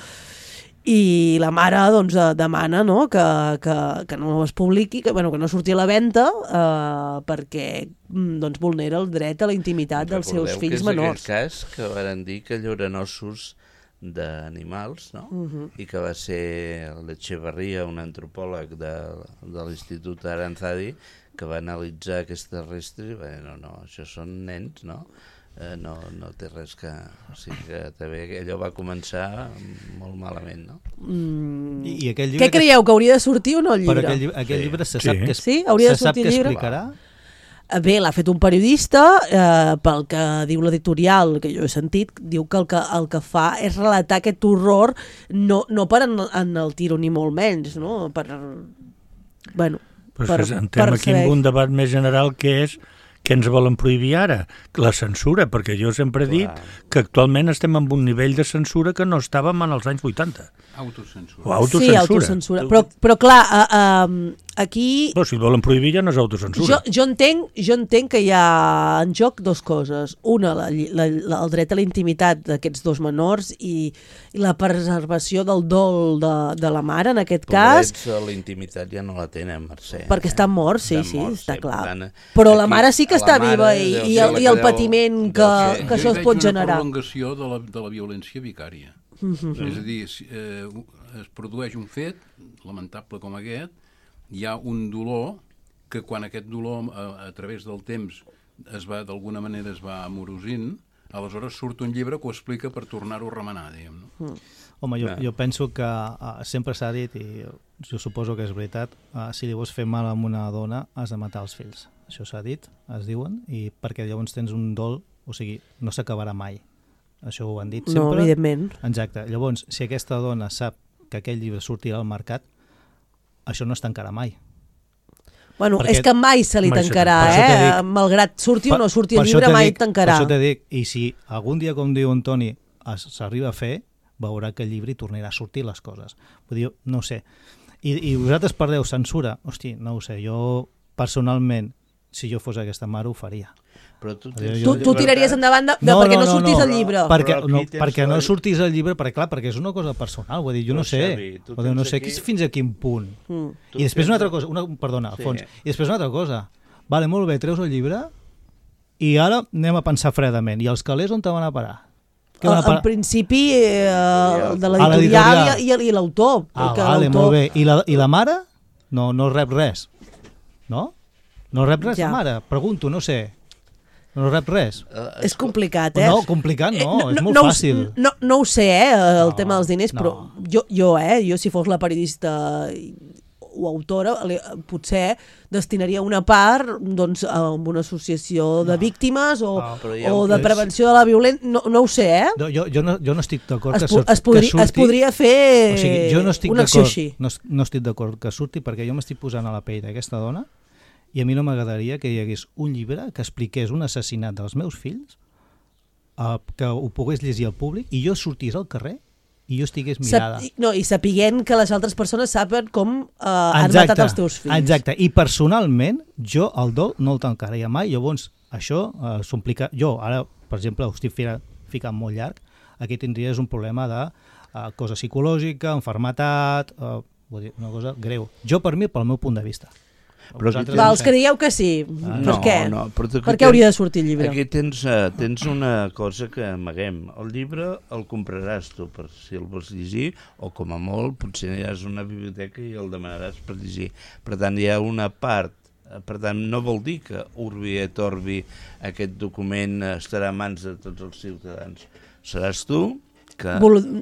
I la mare demana que no es publiqui, que no surti a la venda perquè vulnera el dret a la intimitat dels seus fills menors. Recordeu que és aquell cas que van dir que allò eren ossos d'animals, no? I que va ser l'Echeverría, un antropòleg de l'Institut Aranzadi, que va analitzar aquestes restes i va dir, no, això són nens, no? No té res que... O sigui que també allò va començar molt malament, no? I aquell llibre què creieu, que hauria de sortir o no el llibre? Per aquell llibre se sap que hauria de sortir el llibre? Explicarà? Bé, l'ha fet un periodista, pel que diu l'editorial, que jo he sentit, diu que el que fa és relatar aquest horror, no per enaltir-ho ni molt menys, no? Però entrem aquí en un debat més general que és què ens volen prohibir ara? La censura, perquè jo sempre he dit que actualment estem en un nivell de censura que no estàvem en els anys 80. Autocensura. O autocensura. Sí, autocensura. Però clar, aquí... Però si el volen prohibir ja no és autocensura. Jo entenc que hi ha en joc 2 coses. Una, el dret a la intimitat d'aquests 2 menors i la preservació del dol de la mare, en aquest cas. La intimitat ja no la tenen, Mercè. Perquè estan morts, sí, està clar. Però la mare sí que està viva i el patiment que això es pot generar. Jo veig una prolongació de la violència vicària. És a dir, es produeix un fet lamentable com aquest, hi ha un dolor que quan aquest dolor a través del temps d'alguna manera es va amorosint, aleshores surt un llibre que ho explica per tornar-ho a remenar, diguem, no? Home, jo penso que sempre s'ha dit, i jo suposo que és veritat, si li vols fer mal a una dona has de matar els fills. Això s'ha dit, es diuen, i perquè llavors tens un dol, o sigui, no s'acabarà mai. Això ho han dit sempre. No, evidentment. Exacte. Llavors, si aquesta dona sap que aquell llibre sortirà al mercat, això no es tancarà mai. Bueno, és que mai se li tancarà, malgrat surti o no surti el llibre, mai tancarà. Per això t'he dit, i si algun dia, com diu en Toni, s'arriba a fer, veurà que el llibre hi tornarà a sortir les coses. Vull dir, no ho sé. I vosaltres parleu censura? Hosti, no ho sé, jo personalment, si jo fos aquesta mare, ho faria. Però tu tiraries endavant perquè no sortís el llibre. Perquè no sortís el llibre, perquè és una cosa personal, vull dir, jo no sé. No sé fins a quin punt. I després una altra cosa, perdona, Alfons, i després una altra cosa. Vale, molt bé, treus el llibre i ara anem a pensar fredament. I els calés on te van a parar? En principi de l'editorial i l'autor. Vale, molt bé. I la mare? No rep res. No? No rep res la mare? Pregunto, no sé. No rep res. És complicat, No, complicat no, és molt fàcil. No ho sé, el tema dels diners, però jo si fos la periodista o autora, potser destinaria una part a una associació de víctimes o de prevenció de la violència, no ho sé, Jo no estic d'acord que surti. Es podria fer una acció així. No estic d'acord que surti perquè jo m'estic posant a la pell d'aquesta dona i a mi no m'agradaria que hi hagués un llibre que expliqués un assassinat dels meus fills, que ho pogués llegir al públic i jo sortís al carrer i jo estigués mirada. I sapiguent que les altres persones saben com han matat els teus fills. Exacte, i personalment jo el dol no el tancaria mai, llavors això s'implica... Jo ara, per exemple, ho estic ficant molt llarg, aquí tindries un problema de cosa psicològica, enfermetat, una cosa greu. Jo per mi, pel meu punt de vista. Els creieu que sí? Per què? Per què hauria de sortir el llibre? Aquí tens una cosa que amaguem. El llibre el compraràs tu per si el vols llegir, o com a molt potser aniràs a una biblioteca i el demanaràs per llegir. Per tant, hi ha una part. Per tant, no vol dir que Urbi et Orbi aquest document estarà a mans de tots els ciutadans. Seràs tu que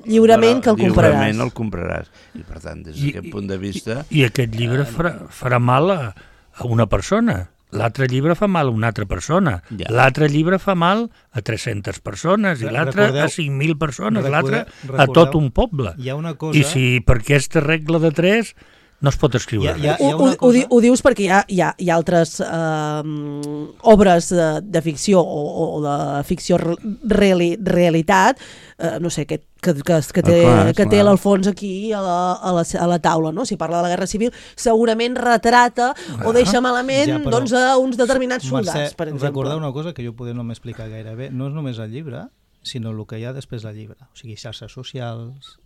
lliurement que el compraràs. Lliurement el compraràs. I per tant, des d'aquest punt de vista... I aquest llibre farà mal a una persona. l'altre llibre fa mal a una altra persona, l'altre llibre fa mal a 300 persones, i l'altre a 5.000 persones, l'altre a tot un poble. Hi ha una cosa... I si per aquesta regla de 3 no es pot escriure res. Ho dius perquè hi ha altres obres de ficció o de ficció realitat, no sé, que té l'Alfons aquí a la taula, no? Si parla de la Guerra Civil, segurament retrata o deixa malament doncs, a uns determinats soldats, per exemple. Recordar una cosa que jo poder no m'explicar gaire bé, no és només el llibre, sinó el que hi ha després del llibre. O sigui, xarxes socials...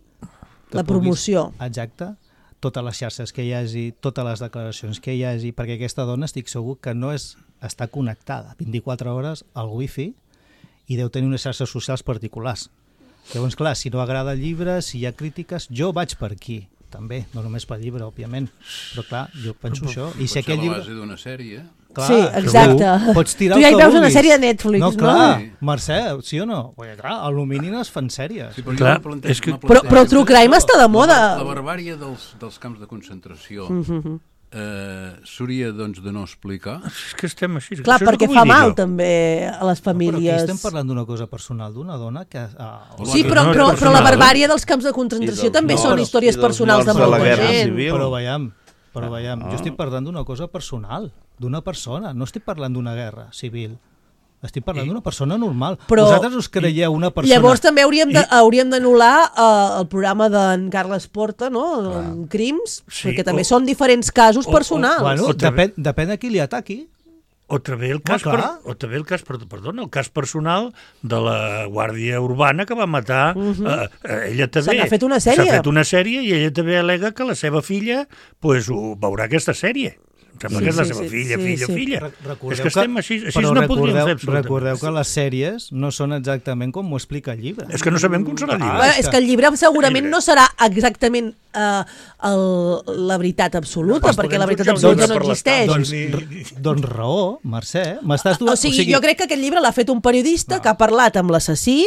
La promoció. Exacte. Totes les xarxes que hi hagi, totes les declaracions que hi hagi, perquè aquesta dona estic segur que no està connectada 24 hores al wifi i deu tenir unes xarxes socials particulars. Llavors, clar, si no agrada el llibre, si hi ha crítiques, jo vaig per aquí, també, no només pel llibre, òbviament, però clar, jo penso això. I si aquell llibre... Pot ser a la base d'una sèrie. Clar, sí, exacte. Pots tirar tu ja hi veus una sèrie de Netflix, no? Clar, Mercè, sí o no? Perquè, clar, a l'Alumini no es fan sèries. Sí, però el True Crime està de moda. La barbària dels camps de concentració s'hauria doncs, de no explicar. És que estem així. Clar, perquè fa mal també a les famílies. Però aquí estem parlant d'una cosa personal d'una dona que... Sí, però la barbària dels camps de concentració també són històries personals de molta gent. Però veiem, jo estic parlant d'una cosa personal, d'una persona, no estic parlant d'una guerra civil. Estic parlant d'una persona normal. Però, vosaltres us creieu una persona... Llavors també hauríem d'anul·lar el programa d'en Carles Porta, no? Crims, perquè també són diferents casos personals. Bueno, depèn de qui li ataqui. O també el cas personal de la Guàrdia Urbana que va matar ella també. Se n'ha fet una sèrie. S'ha fet una sèrie i ella també al·lega que la seva filla ho veurà aquesta sèrie. Em sembla que és la seva filla. És que estem així no podríem fer absolutament. Recordeu que les sèries no són exactament com ho explica el llibre. És que no sabem com serà el llibre. És que el llibre segurament no serà exactament la veritat absoluta, perquè la veritat absoluta no existeix. Doncs raó, Mercè. O sigui, jo crec que aquest llibre l'ha fet un periodista que ha parlat amb l'assassí,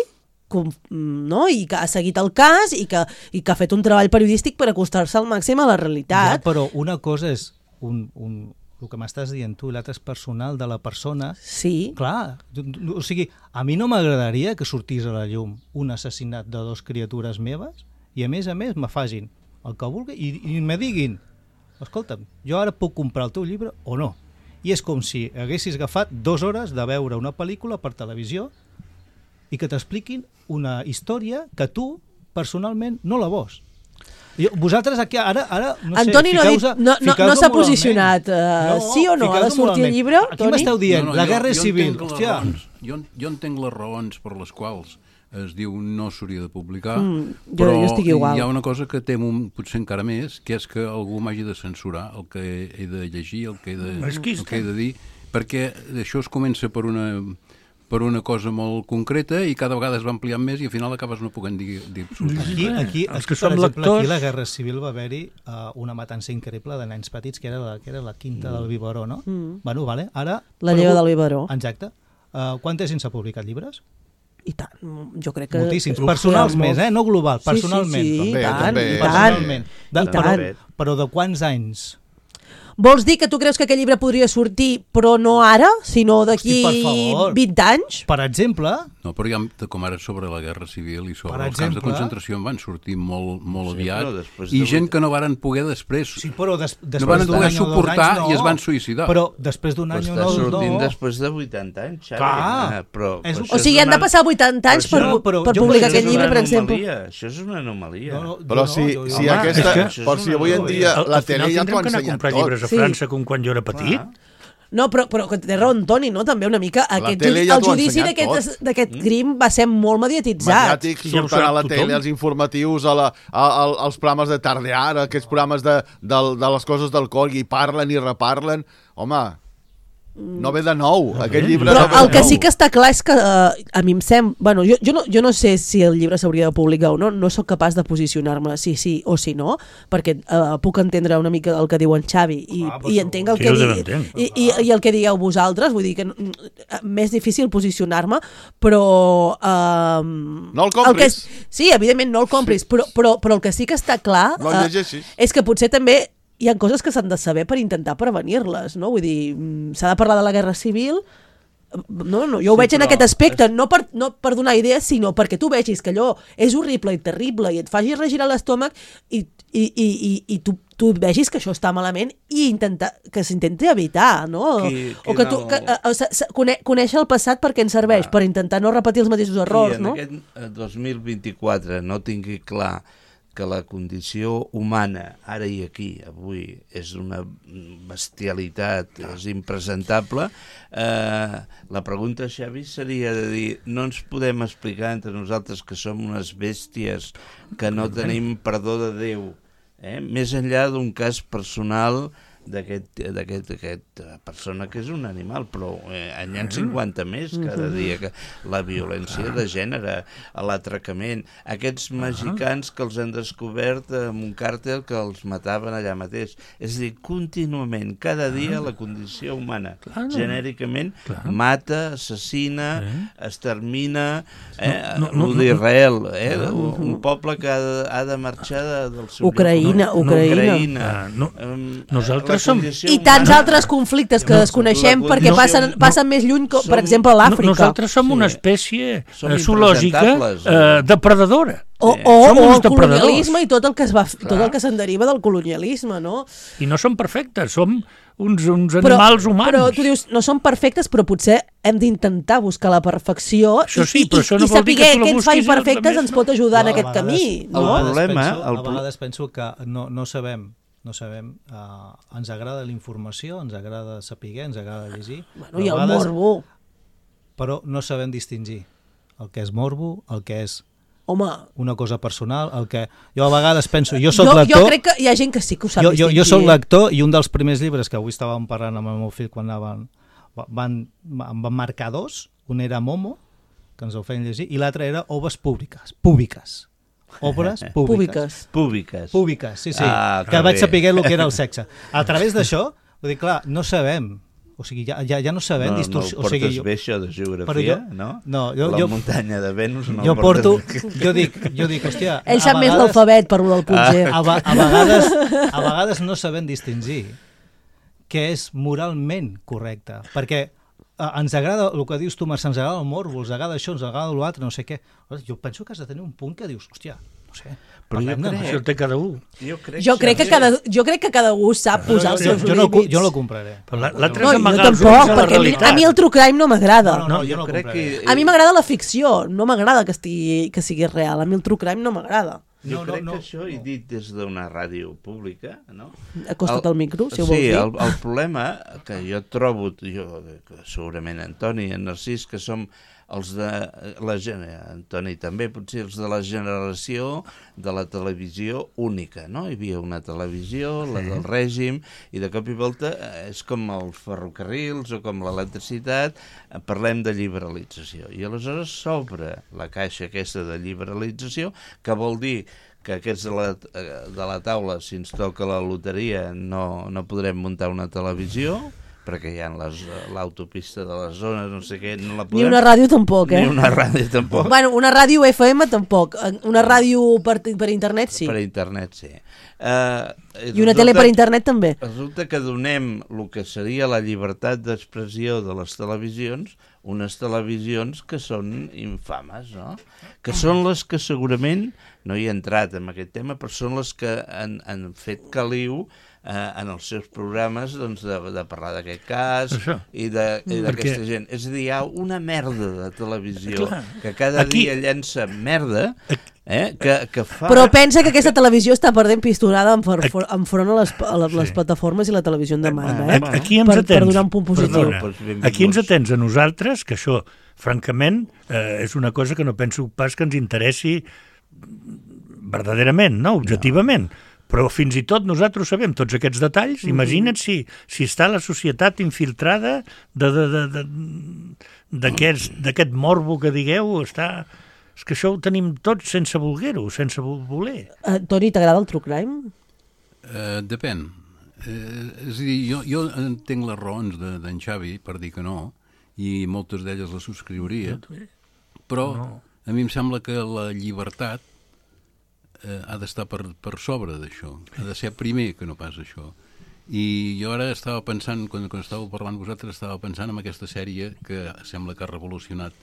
no? I que ha seguit el cas i que ha fet un treball periodístic per acostar-se al màxim a la realitat. Ja, però una cosa és el que m'estàs dient tu, l'altre és personal de la persona. Sí. Clar, o sigui, a mi no m'agradaria que sortís a la llum un assassinat de 2 criatures meves i a més me facin el que vulgui i me diguin, escolta'm, jo ara puc comprar el teu llibre o no. I és com si haguessis agafat 2 hores de veure una pel·lícula per televisió i que t'expliquin una història que tu personalment no la vols. Vosaltres aquí ara no sé, Antoni no s'ha posicionat. Sí o no? Ha de sortir el llibre? Aquí m'esteu dient, la guerra civil. Jo entenc les raons per les quals es diu no s'hauria de publicar, però hi ha una cosa que temo potser encara més, que és que algú m'hagi de censurar el que he de llegir, el que he de dir, perquè això es comença per una cosa molt concreta i cada vegada es va ampliant més i al final acabes no podent dir absolutament. Aquí, per exemple, aquí la Guerra Civil va haver-hi una matança increïble de nens petits, que era la quinta del Biberó, no? Bueno, vale, ara... La lleva del Biberó. Exacte. Quanta gent s'ha publicat llibres? I tant, jo crec que... Moltíssims, personals més, no global, personalment. Sí, i tant. Però de quants anys? Vols dir que tu creus que aquest llibre podria sortir, però no ara, sinó d'aquí 20 anys? Per exemple... No, però ja, com ara sobre la Guerra Civil i sobre els camps de concentració en van sortir molt aviat, i gent que no varen poder després... Sí, però no van poder suportar i es van suïcidar. Però després d'un any o no... Està sortint després de 80 anys, Xavi. O sigui, han de passar 80 anys per publicar aquest llibre, per exemple. Això és una anomalia. Però si aquesta... Si avui en dia la tele ja t'ho ha ensenyat tot. A França com quan jo era petit. No, però té raó Antoni, no? També una mica el judici d'aquest crim va ser molt mediatitzat. Mediàtic, surten a la tele, els informatius, als programes de tardear, aquests programes de les coses del col, i parlen i reparlen. Home, no ve de nou, aquest llibre però el que sí que està clar és que a mi em sembla, bueno, jo no sé si el llibre s'hauria de publicar o no sóc capaç de posicionar-me si sí o si no, perquè puc entendre una mica el que diu en Xavi i entenc el que i el que digueu vosaltres, vull dir que més difícil posicionar-me, però no el compris. Sí, evidentment no el compris, però el que sí que està clar és que potser també hi ha coses que s'han de saber per intentar prevenir-les, no? Vull dir, s'ha de parlar de la guerra civil, jo ho veig en aquest aspecte, no per donar idees, sinó perquè tu vegis que allò és horrible i terrible i et faci regirar l'estómac i tu vegis que això està malament i que s'intenti evitar, no? Conèixer el passat perquè ens serveix, per intentar no repetir els mateixos errors, no? Qui en aquest 2024 no tingui clar que la condició humana, ara i aquí, avui, és una bestialitat, és impresentable, la pregunta, Xavi, seria de dir, no ens podem explicar entre nosaltres que som unes bèsties que no tenim perdó de Déu, més enllà d'un cas personal d'aquesta persona que és un animal, però n'hi ha 50 més cada dia, que la violència de gènere, l'atracament, aquests mexicans que els han descobert amb un càrtel que els mataven allà mateix. És a dir, contínuament, cada dia la condició humana, genèricament, mata, assassina, extermina, el d'Israel, un poble que ha de marxar del seu Ucraïna. Nosaltres i tants altres conflictes que desconeixem perquè passen més lluny, per exemple, a l'Àfrica. Nosaltres som una espècie zoològica depredadora. O el colonialisme i tot el que se'n deriva del colonialisme, no? I no som perfectes, som uns animals humans. Però tu dius, no som perfectes, però potser hem d'intentar buscar la perfecció i saber què ens fa imperfectes ens pot ajudar en aquest camí. A vegades penso que no sabem, ens agrada la informació, ens agrada saber, ens agrada llegir. Hi ha el morbo. Però no sabem distingir el que és morbo, el que és una cosa personal, el que... Jo a vegades penso, jo soc lector... Jo crec que hi ha gent que sí que ho sap distingir. Jo soc lector i un dels primers llibres que avui estàvem parlant amb el meu fill quan em van marcar dos, un era Momo, que ens ho feien llegir, i l'altre era Obres Públiques. Obres públiques, sí, que vaig saber el que era el sexe. A través d'això, vull dir, clar, no sabem, o sigui, ja no sabem... No portes bé això de geografia, no? La muntanya de Venus no jo porto... Jo dic, hòstia... Ell sap més l'alfabet per lo del punt G. A vegades no sabem distingir què és moralment correcte, perquè ens agrada, el que dius tu, Marc, ens agrada el morbo, ens agrada això, ens agrada l'altre, no sé què. Jo penso que has de tenir un punt que dius, hòstia, no sé... Però això té cada un. Jo crec que cada un sap posar els seus límits. Jo no ho compraré. No, jo tampoc, perquè a mi el true crime no m'agrada. A mi m'agrada la ficció, no m'agrada que sigui real. A mi el true crime no m'agrada. Jo crec que això he dit des d'una ràdio pública, no? Acosta't al micro, si ho vols dir. Sí, el problema que jo trobo, segurament Antoni i en Narcís, que som els de la Antoni també, potser els de la generació de la televisió única, no? Hi havia una televisió, la del règim, i de cop i volta és com els ferrocarrils o com l'electricitat, parlem de liberalització. I aleshores s'obre la caixa aquesta de liberalització, que vol dir que aquests de la taula, si ens toca la loteria, no podrem muntar una televisió, perquè hi ha l'autopista de les zones, no sé què, no la podem... Ni una ràdio tampoc, Ni una ràdio tampoc. Bueno, una ràdio FM tampoc. Una ràdio per internet sí. Per internet sí. I una tele per internet també. Resulta que donem el que seria la llibertat d'expressió de les televisions, unes televisions que són infames, no? Que són les que segurament, no hi he entrat en aquest tema, però són les que han fet caliu en els seus programes de parlar d'aquest cas i d'aquesta gent. És a dir, hi ha una merda de televisió que cada dia llença merda que fa... Però pensa que aquesta televisió està perdent pistonada enfront a les plataformes i la televisió en demanda, Aquí ens atens, per donar un punt positiu. Aquí ens atens a nosaltres, que això, francament, és una cosa que no penso pas que ens interessi verdaderament, no? Objectivament. Però fins i tot nosaltres sabem tots aquests detalls. Imagina't si està la societat infiltrada d'aquest morbo que digueu, està... És que això ho tenim tots sense voler-ho, sense voler. Toni, t'agrada el true crime? Depèn. És a dir, jo entenc les raons d'en Xavi per dir que no, i moltes d'elles les subscriuria, però a mi em sembla que la llibertat ha d'estar per sobre d'això, ha de ser primer que no pas això. I jo ara estava pensant, quan estàveu parlant vosaltres, estava pensant en aquesta sèrie que sembla que ha revolucionat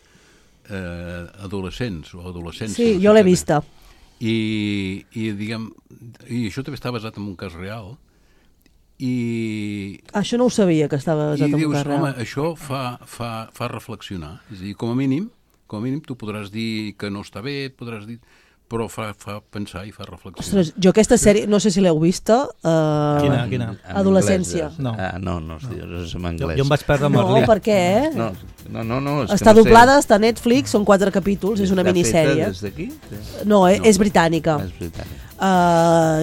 adolescents o adolescents. Sí, jo l'he vista. I això també està basat en un cas real. Això no ho sabia, que estava basat en un cas real. Home, això fa reflexionar. És a dir, com a mínim tu podràs dir que no està bé, podràs dir... però fa pensar i fa reflexionar. Ostres, jo aquesta sèrie, no sé si l'heu vista. Quina? Adolescència. No, és en anglès. Jo em vaig perdre amb No, per què? No. Està doblada, està a Netflix, són 4 capítols, és una minissèrie. Està feta des d'aquí? No, és britànica. És britànica.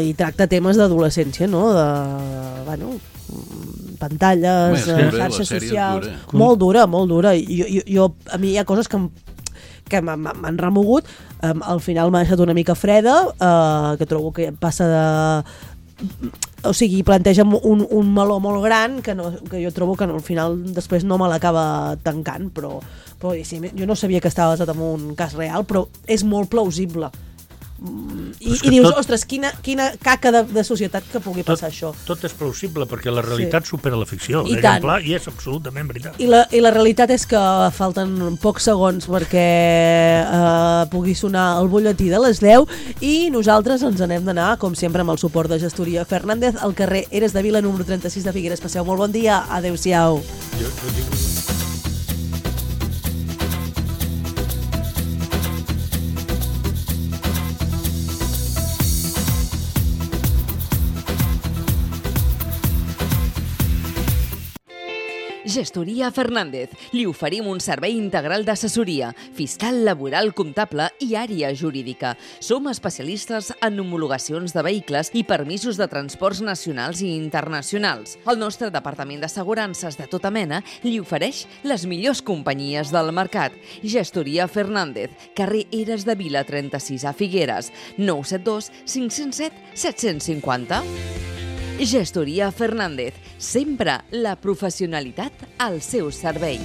I tracta temes d'adolescència, no? Pantalles, xarxes socials... Molt dura. A mi hi ha coses que m'han remogut. Al final m'ha deixat una mica freda, que trobo que passa de... O sigui, planteja un meló molt gran que jo trobo que al final després no me l'acaba tancant, però sí, jo no sabia que estava basat en un cas real, però és molt plausible. I dius, ostres, quina caca de societat que pugui passar això. Tot és plausible, perquè la realitat supera la ficció, i és absolutament veritat. I la realitat és que falten pocs segons perquè pugui sonar el butlletí de les 10 i nosaltres ens n'hem d'anar, com sempre, amb el suport de Gestoria Fernández, al carrer Eres de Vila, número 36 de Figueres. Passeu molt bon dia, adeu-siau. Gestoria Fernández. Li oferim un servei integral d'assessoria, fiscal, laboral, comptable i àrea jurídica. Som especialistes en homologacions de vehicles i permisos de transports nacionals i internacionals. El nostre departament d'assegurances de tota mena li ofereix les millors companyies del mercat. Gestoria Fernández, carrer Eres de Vila 36 a Figueres, 972 507 750. Gestoria Fernández, sempre la professionalitat al seu servei.